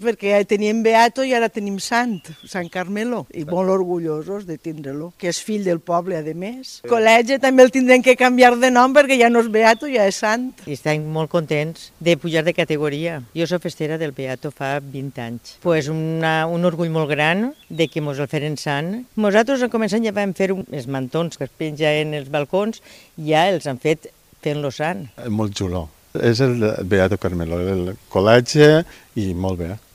perquè ja teníem beato i ara tenim Sant Carmelo, i molt orgullosos de tindre-lo, que és fill del poble, a més. El col·legi també el tindrem que canviar de nom perquè ja no és beato, ja és sant. I estem molt contents de pujar de categoria. Jo soc festera del beato fa 20 anys. Pues un orgull molt gran de que mos el feren sant. Nosaltres al començament ja vam fer els mantons que es pengen els balcons, ja els han fet fent-lo sant. Molt xulo. És el beato Carmelo, el col·legi i molt bé.